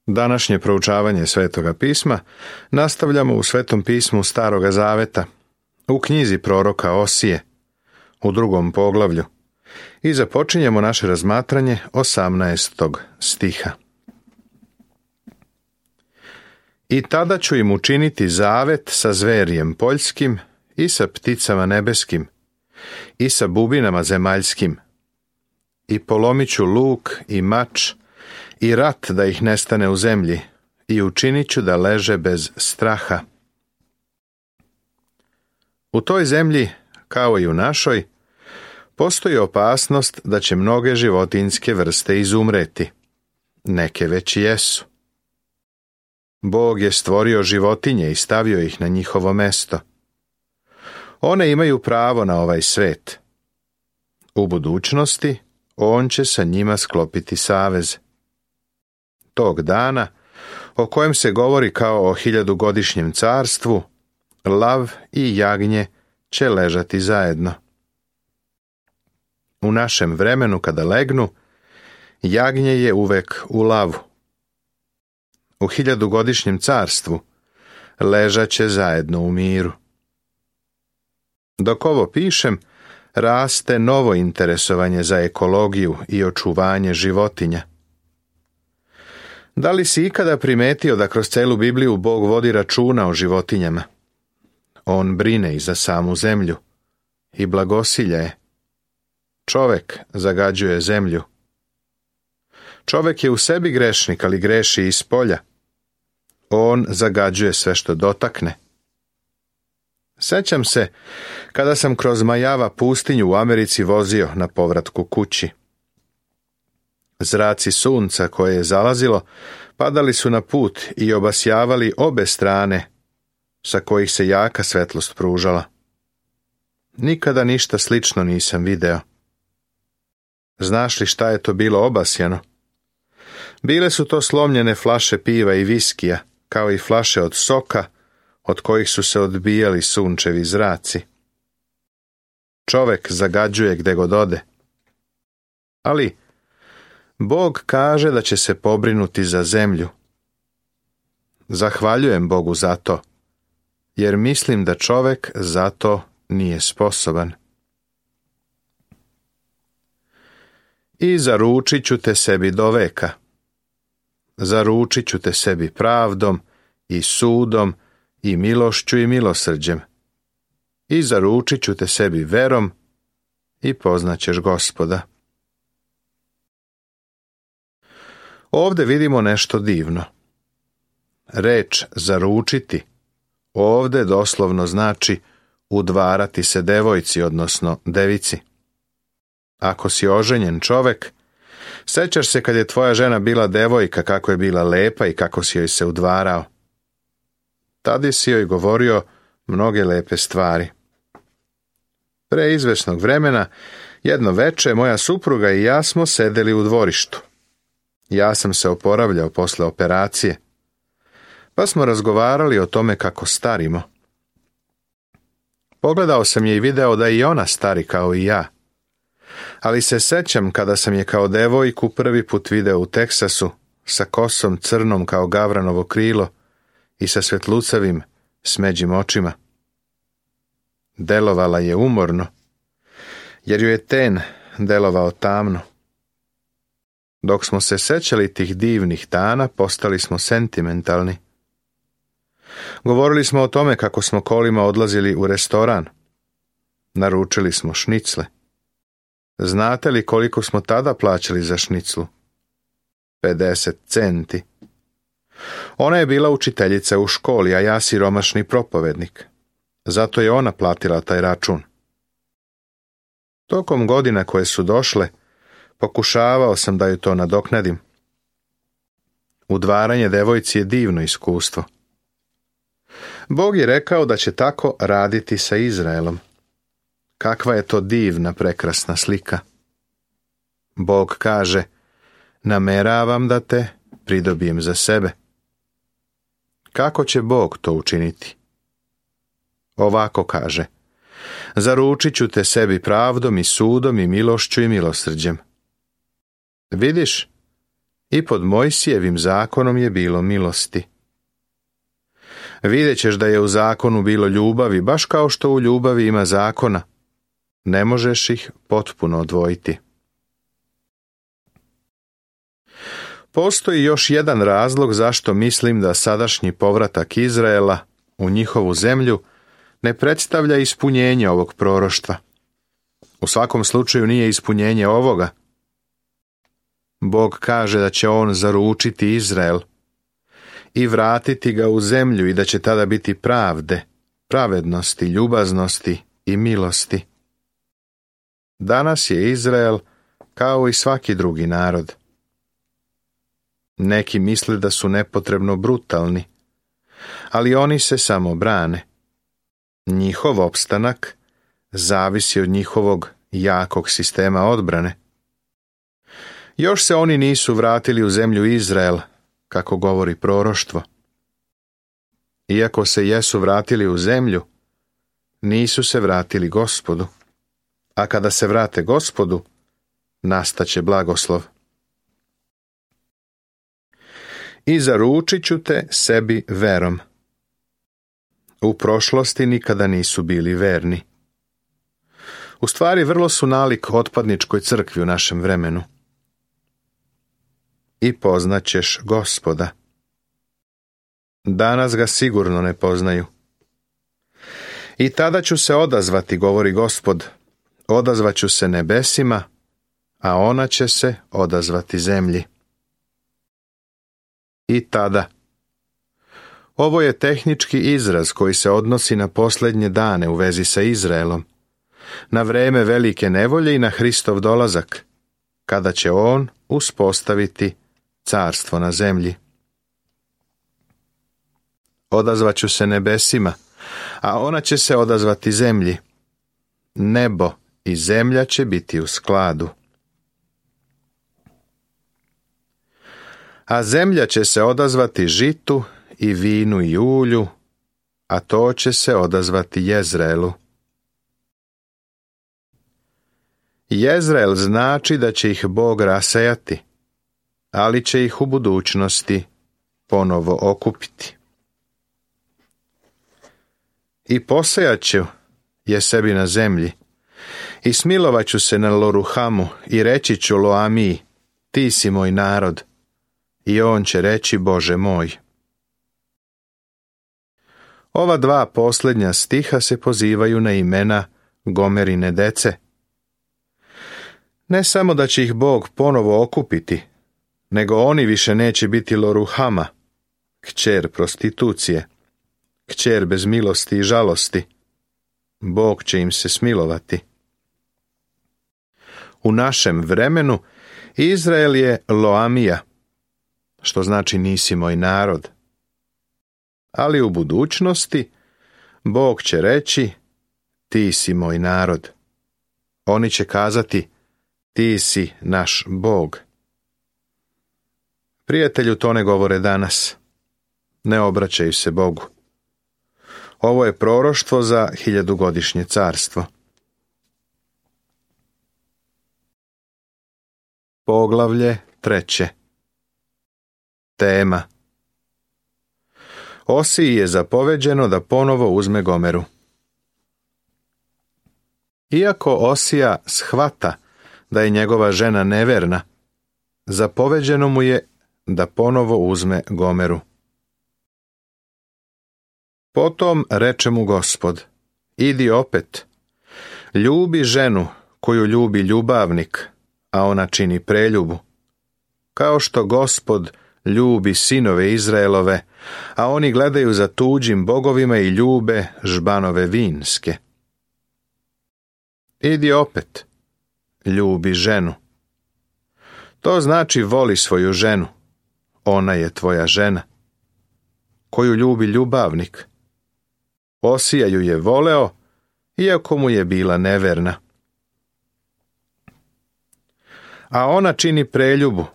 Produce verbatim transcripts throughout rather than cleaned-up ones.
Današnje proučavanje Svetoga pisma nastavljamo u Svetom pismu Staroga Zaveta, u knjizi proroka Osije, u drugom poglavlju, i započinjemo naše razmatranje osamnaestog stiha. I tada ću im učiniti zavet sa zverjem poljskim i sa pticama nebeskim i sa bubinama zemaljskim, i polomit ću luk i mač i rat da ih nestane u zemlji, i učinit ću da leže bez straha. U toj zemlji, kao i u našoj, postoji opasnost da će mnoge životinjske vrste izumreti. Neke već jesu. Bog je stvorio životinje i stavio ih na njihovo mesto. One imaju pravo na ovaj svet. U budućnosti on će sa njima sklopiti savez. Tog dana, o kojem se govori kao o hiljadugodišnjem carstvu, lav i jagnje će ležati zajedno. U našem vremenu kada legnu, jagnje je uvek u lavu. U hiljadugodišnjem carstvu ležat će zajedno u miru. Dok ovo pišem, raste novo interesovanje za ekologiju i očuvanje životinja. Da li si ikada primetio da kroz celu Bibliju Bog vodi računa o životinjama? On brine i za samu zemlju i blagosilja je. Čovek zagađuje zemlju. Čovek je u sebi grešnik, ali greši iz polja. On zagađuje sve što dotakne. Sećam se kada sam kroz Majava pustinju u Americi vozio na povratku kući. Zraci sunca koje je zalazilo padali su na put i obasjavali obe strane sa kojih se jaka svetlost pružala. Nikada ništa slično nisam video. Znaš li šta je to bilo obasjano? Bile su to slomljene flaše piva i viskija, kao i flaše od soka, od kojih su se odbijali sunčevi zraci. Čovek zagađuje gde god ode. Ali Bog kaže da će se pobrinuti za zemlju. Zahvaljujem Bogu za to, jer mislim da čovek za to nije sposoban. I zaručit ću te sebi do veka. Zaručit ću te sebi pravdom i sudom i milošću i milosrđem. I zaručit ću te sebi verom i poznaćeš Gospoda. Ovde vidimo nešto divno. Reč zaručiti ovde doslovno znači udvarati se devojci, odnosno devici. Ako si oženjen čovek, sećaš se kad je tvoja žena bila devojka, kako je bila lepa i kako si joj se udvarao. Tada si joj govorio mnoge lepe stvari. Pre izvesnog vremena, jedno veče, moja supruga i ja smo sedeli u dvorištu. Ja sam se oporavljao posle operacije, pa smo razgovarali o tome kako starimo. Pogledao sam je i video da i ona stari kao i ja. Ali se sećam kada sam je kao devojku prvi put video u Teksasu, sa kosom crnom kao gavranovo krilo i sa svetlucavim, smeđim očima. Delovala je umorno, jer ju je ten delovao tamno. Dok smo se sećali tih divnih dana, postali smo sentimentalni. Govorili smo o tome kako smo kolima odlazili u restoran. Naručili smo šnicle. Znate li koliko smo tada plaćali za šniclu? pedeset centi. Ona je bila učiteljica u školi, a ja siromašni propovednik. Zato je ona platila taj račun. Tokom godina koje su došle, pokušavao sam da ju to nadoknadim. Udvaranje devojci je divno iskustvo. Bog je rekao da će tako raditi sa Izraelom. Kakva je to divna, prekrasna slika. Bog kaže, nameravam da te pridobijem za sebe. Kako će Bog to učiniti? Ovako kaže, zaručit ću te sebi pravdom i sudom i milošću i milosrđem. Vidiš, I pod Mojsijevim zakonom je bilo milosti. Vidjet ćeš da je u zakonu bilo ljubavi, baš kao što u ljubavi ima zakona. Ne možeš ih potpuno odvojiti. Postoji još jedan razlog zašto mislim da sadašnji povratak Izraela u njihovu zemlju ne predstavlja ispunjenje ovog proroštva. U svakom slučaju nije ispunjenje ovoga. Bog kaže da će on zaručiti Izrael i vratiti ga u zemlju i da će tada biti pravde, pravednosti, ljubaznosti i milosti. Danas je Izrael kao i svaki drugi narod. Neki misle da su nepotrebno brutalni, ali oni se samo brane. Njihov opstanak zavisi od njihovog jakog sistema odbrane. Još se oni nisu vratili u zemlju Izrael, kako govori proroštvo. Iako se jesu vratili u zemlju, nisu se vratili Gospodu. A kada se vrate Gospodu, nastaće blagoslov. I zaručit ću te sebi verom. U prošlosti nikada nisu bili verni. U stvari vrlo su nalik otpadničkoj crkvi u našem vremenu. I poznaćeš Gospoda. Danas ga sigurno ne poznaju. I tada ću se odazvati, govori Gospod, odazvaću se nebesima, a ona će se odazvati zemlji. I tada. Ovo je tehnički izraz koji se odnosi na posljednje dane u vezi sa Izraelom, na vreme velike nevolje i na Hristov dolazak, kada će on uspostaviti carstvo na zemlji. Odazvaću se nebesima, a ona će se odazvati zemlji. Nebo i zemlja će biti u skladu. A zemlja će se odazvati žitu i vinu i ulju, a to će se odazvati Jezreelu. Jezreel znači da će ih Bog rasejati, ali će ih u budućnosti ponovo okupiti. I posejat ću je sebi na zemlji, i smilovat ću se na Loruhamu i reći ću Loamiji, ti si moj narod, i on će reći Bože moj. Ova dva posljednja stiha se pozivaju na imena Gomerine dece. Ne samo da će ih Bog ponovo okupiti, nego oni više neće biti Loruhama, kćer prostitucije, kćer bez milosti i žalosti. Bog će im se smilovati. U našem vremenu Izrael je Loamija, što znači nisi moj narod. Ali u budućnosti Bog će reći ti si moj narod. Oni će kazati ti si naš Bog. Prijatelju, to ne govore danas. Ne obraćaju se Bogu. Ovo je proroštvo za hiljadugodišnje carstvo. Poglavlje treće. Tema. Osiji je zapoveđeno da ponovo uzme Gomeru. Iako Osija shvata da je njegova žena neverna, zapoveđeno mu je da ponovo uzme Gomeru. Potom reče mu Gospod, idi opet, ljubi ženu koju ljubi ljubavnik, a ona čini preljubu, kao što Gospod ljubi sinove Izraelove, a oni gledaju za tuđim bogovima i ljube žbanove vinske. Idi opet, ljubi ženu. To znači voli svoju ženu, ona je tvoja žena, koju ljubi ljubavnik. Osija ju je voleo, iako mu je bila neverna. A ona čini preljubu,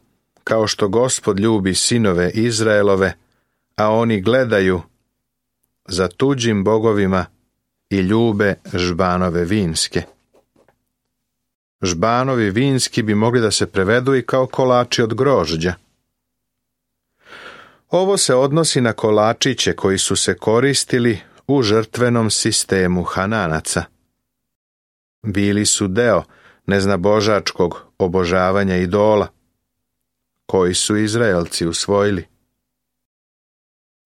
kao što Gospod ljubi sinove Izraelove, a oni gledaju za tuđim bogovima i ljube žbanove vinske. Žbanovi vinski bi mogli da se prevedu i kao kolači od grožđa. Ovo se odnosi na kolačiće koji su se koristili u žrtvenom sistemu Hananaca. Bili su deo neznabožačkog obožavanja idola, koji su Izraelci usvojili.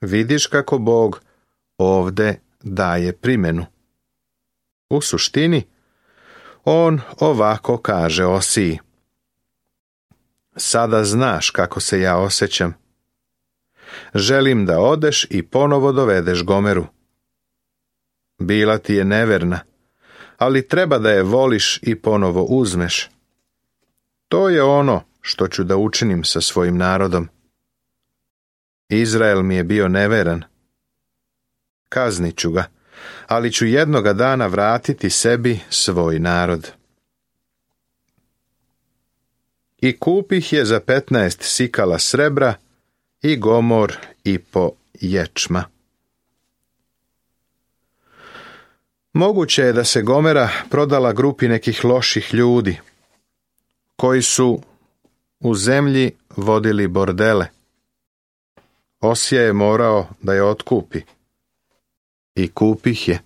Vidiš kako Bog ovde daje primjenu. U suštini, on ovako kaže Osiji: sada znaš kako se ja osjećam. Želim da odeš i ponovo dovedeš Gomeru. Bila ti je neverna, ali treba da je voliš i ponovo uzmeš. To je ono što ću da učinim sa svojim narodom. Izrael mi je bio neveran. Kaznit ću ga, ali ću jednoga dana vratiti sebi svoj narod. I kupih je za petnaest sikala srebra i Gomor i po ječma. Moguće je da se Gomera prodala grupi nekih loših ljudi, koji su u zemlji vodili bordele. Osija je morao da je otkupi. I kupih je.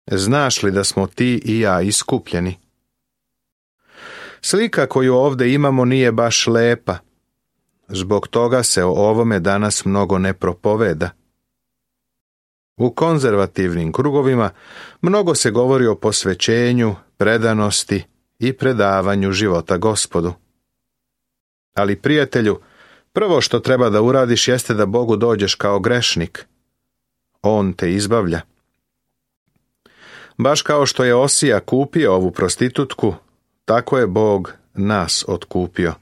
Znaš li da smo ti i ja iskupljeni? Slika koju ovdje imamo nije baš lepa. Zbog toga se o ovome danas mnogo ne propoveda. U konzervativnim krugovima mnogo se govori o posvećenju, predanosti i predavanju života Gospodu. Ali, prijatelju, prvo što treba da uradiš jeste da Bogu dođeš kao grešnik. On te izbavlja. Baš kao što je Osija kupio ovu prostitutku, tako je Bog nas otkupio.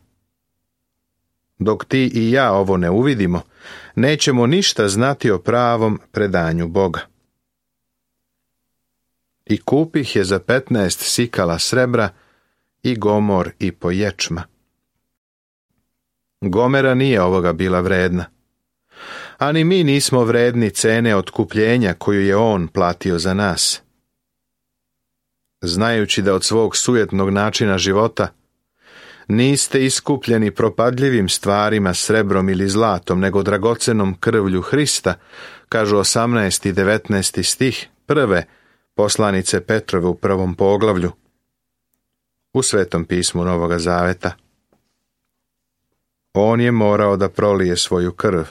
Dok ti i ja ovo ne uvidimo, nećemo ništa znati o pravom predanju Boga. I kupih je za petnaest sikala srebra i Gomor i po ječma. Gomera nije ovoga bila vredna. Ani mi nismo vredni cene otkupljenja koju je on platio za nas. Znajući da od svog sujetnog načina života niste iskupljeni propadljivim stvarima, srebrom ili zlatom, nego dragocenom krvlju Hrista, kažu osamnaesti i devetnaesti stih prve poslanice Petrove u prvom poglavlju u Svetom pismu Novoga Zaveta. On je morao da prolije svoju krv.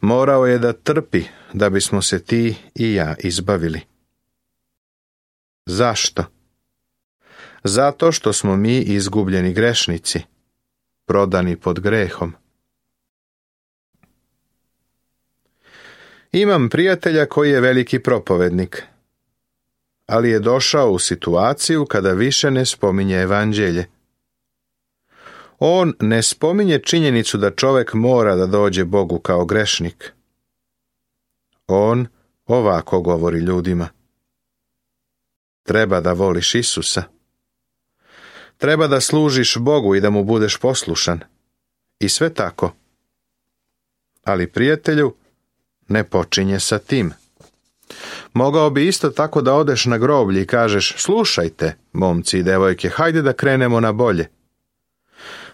Morao je da trpi da bismo se ti i ja izbavili. Zašto? Zato što smo mi izgubljeni grešnici, prodani pod grehom. Imam prijatelja koji je veliki propovednik, ali je došao u situaciju kada više ne spominje evanđelje. On ne spominje činjenicu da čovjek mora da dođe Bogu kao grešnik. On ovako govori ljudima: treba da voliš Isusa. Treba da služiš Bogu i da mu budeš poslušan. I sve tako. Ali, prijatelju, ne počinje sa tim. Mogao bi isto tako da odeš na groblje i kažeš: slušajte, momci i devojke, hajde da krenemo na bolje.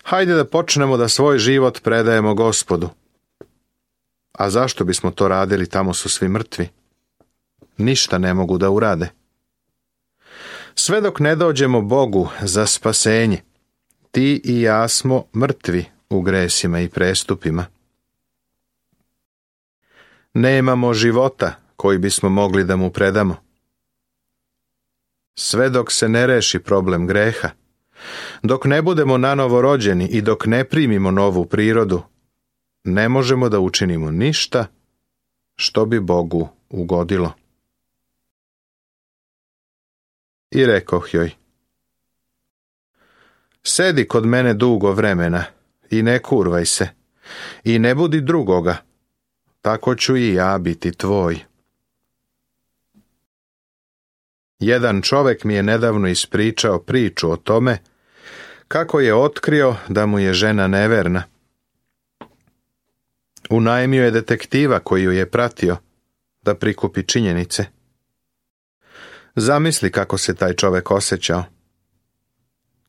Hajde da počnemo da svoj život predajemo Gospodu. A zašto bismo to radili, tamo su svi mrtvi? Ništa ne mogu da urade. Sve dok ne dođemo Bogu za spasenje, ti i ja smo mrtvi u gresima i prestupima. Nemamo života koji bismo mogli da mu predamo. Sve dok se ne reši problem greha, dok ne budemo nanovo rođeni i dok ne primimo novu prirodu, ne možemo da učinimo ništa što bi Bogu ugodilo. I rekoh joj: sedi kod mene dugo vremena i ne kurvaj se i ne budi drugoga, tako ću i ja biti tvoj. Jedan čovjek mi je nedavno ispričao priču o tome kako je otkrio da mu je žena neverna. Unajmio je detektiva koji ju je pratio da prikupi činjenice. Zamisli kako se taj čovjek osjećao.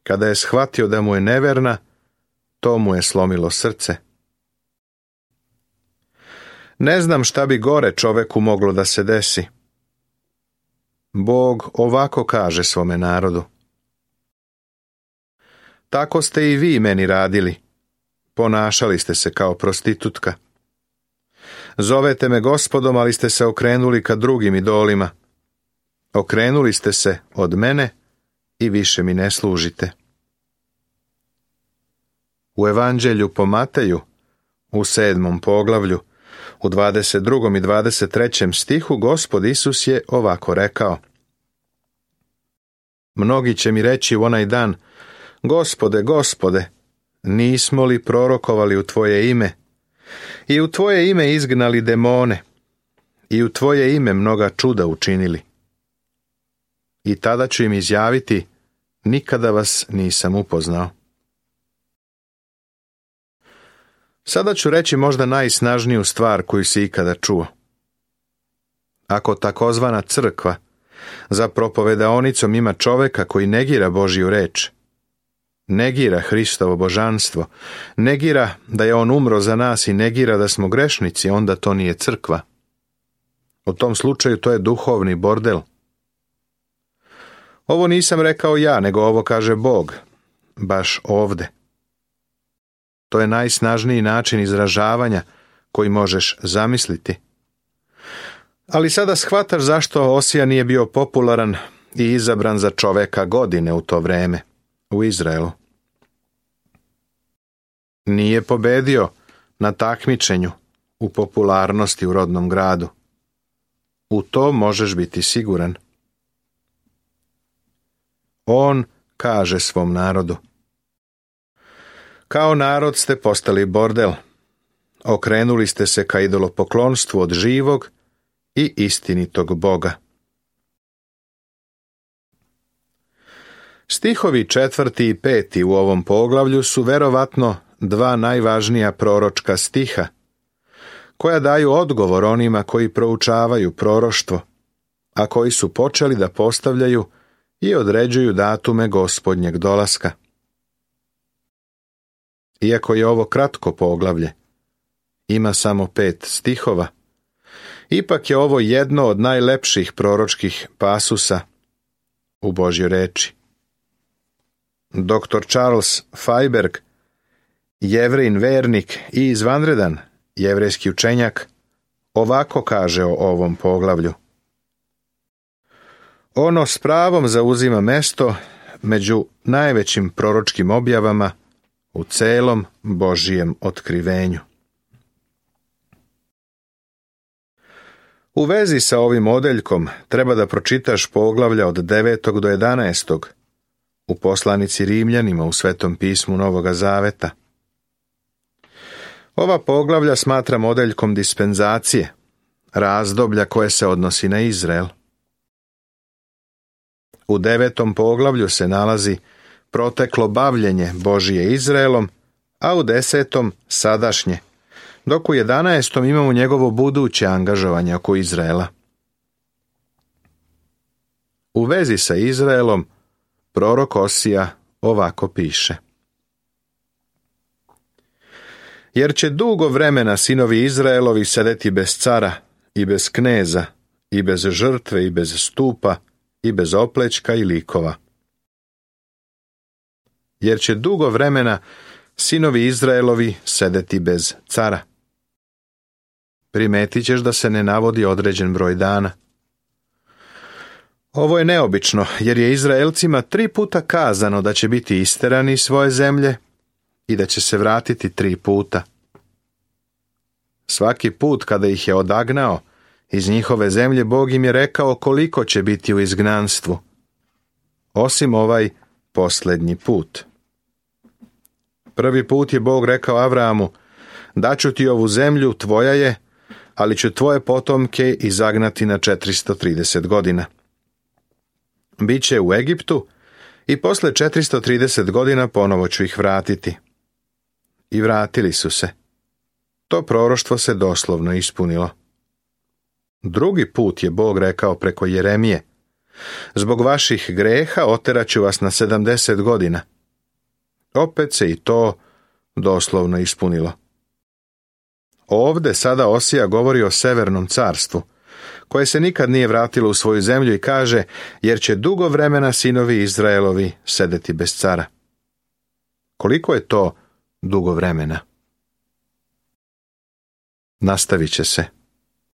Kada je shvatio da mu je neverna, to mu je slomilo srce. Ne znam šta bi gore čoveku moglo da se desi. Bog ovako kaže svome narodu. Tako ste i vi meni radili. Ponašali ste se kao prostitutka. Zovete me Gospodom, ali ste se okrenuli ka drugim idolima. Okrenuli ste se od mene i više mi ne služite. U Evanđelju po Mateju, u sedmom poglavlju, u dvadeset drugom i dvadeset trećem stihu, Gospod Isus je ovako rekao. Mnogi će mi reći u onaj dan, Gospode, Gospode, nismo li prorokovali u Tvoje ime i u Tvoje ime izgnali demone i u Tvoje ime mnoga čuda učinili? I tada ću im izjaviti, nikada vas nisam upoznao. Sada ću reći možda najsnažniju stvar koju si ikada čuo. Ako takozvana crkva za propovedaonicom ima čoveka koji negira Božju reč, negira Hristovo božanstvo, negira da je on umro za nas i negira da smo grešnici, onda to nije crkva. U tom slučaju to je duhovni bordel. Ovo nisam rekao ja, nego ovo kaže Bog, baš ovde. To je najsnažniji način izražavanja koji možeš zamisliti. Ali sada shvataš zašto Osija nije bio popularan i izabran za čoveka godine u to vreme u Izraelu. Nije pobedio na takmičenju u popularnosti u rodnom gradu. U to možeš biti siguran. On kaže svom narodu. Kao narod ste postali bordel. Okrenuli ste se ka idolopoklonstvu od živog i istinitog Boga. Stihovi četvrti i peti u ovom poglavlju su verovatno dva najvažnija proročka stiha, koja daju odgovor onima koji proučavaju proroštvo, a koji su počeli da postavljaju i određuju datume Gospodnjeg dolaska. Iako je ovo kratko poglavlje, ima samo pet stihova, ipak je ovo jedno od najlepših proročkih pasusa u Božjoj reči. doktor Charles Feiberg, Jevrin vernik i izvanredan jevrejski učenjak, ovako kaže o ovom poglavlju. Ono s pravom zauzima mesto među najvećim proročkim objavama u celom Božijem otkrivenju. U vezi sa ovim odeljkom treba da pročitaš poglavlja od devetog do jedanaestog u poslanici Rimljanima u Svetom pismu Novoga Zaveta. Ova poglavlja smatram odeljkom dispenzacije, razdoblja koje se odnosi na Izrael. U devetom poglavlju se nalazi proteklo bavljenje Božije Izraelom, a u desetom sadašnje, dok u jedanaestom imamo njegovo buduće angažovanje oko Izraela. U vezi sa Izraelom prorok Osija ovako piše. Jer će dugo vremena sinovi Izraelovi sedeti bez cara i bez kneza i bez žrtve i bez stupa i bez oplećka i likova. Jer će dugo vremena sinovi Izraelovi sedeti bez cara. Primetit ćeš da se ne navodi određen broj dana. Ovo je neobično, jer je Izraelcima tri puta kazano da će biti isterani iz svoje zemlje i da će se vratiti tri puta. Svaki put kada ih je odagnao iz njihove zemlje, Bog im je rekao koliko će biti u izgnanstvu, osim ovaj posljednji put. Prvi put je Bog rekao Avramu, daću ti ovu zemlju, tvoja je, ali ću tvoje potomke izagnati na četiristo trideset godina. Biće u Egiptu i posle četiristo trideset godina ponovo ću ih vratiti. I vratili su se. To proroštvo se doslovno ispunilo. Drugi put je Bog rekao preko Jeremije, zbog vaših greha oteraću vas na sedamdeset godina. Opet se i to doslovno ispunilo. Ovde sada Osija govori o severnom carstvu, koje se nikad nije vratilo u svoju zemlju i kaže, jer će dugo vremena sinovi Izraelovi sedeti bez cara. Koliko je to dugo vremena? Nastavit će se.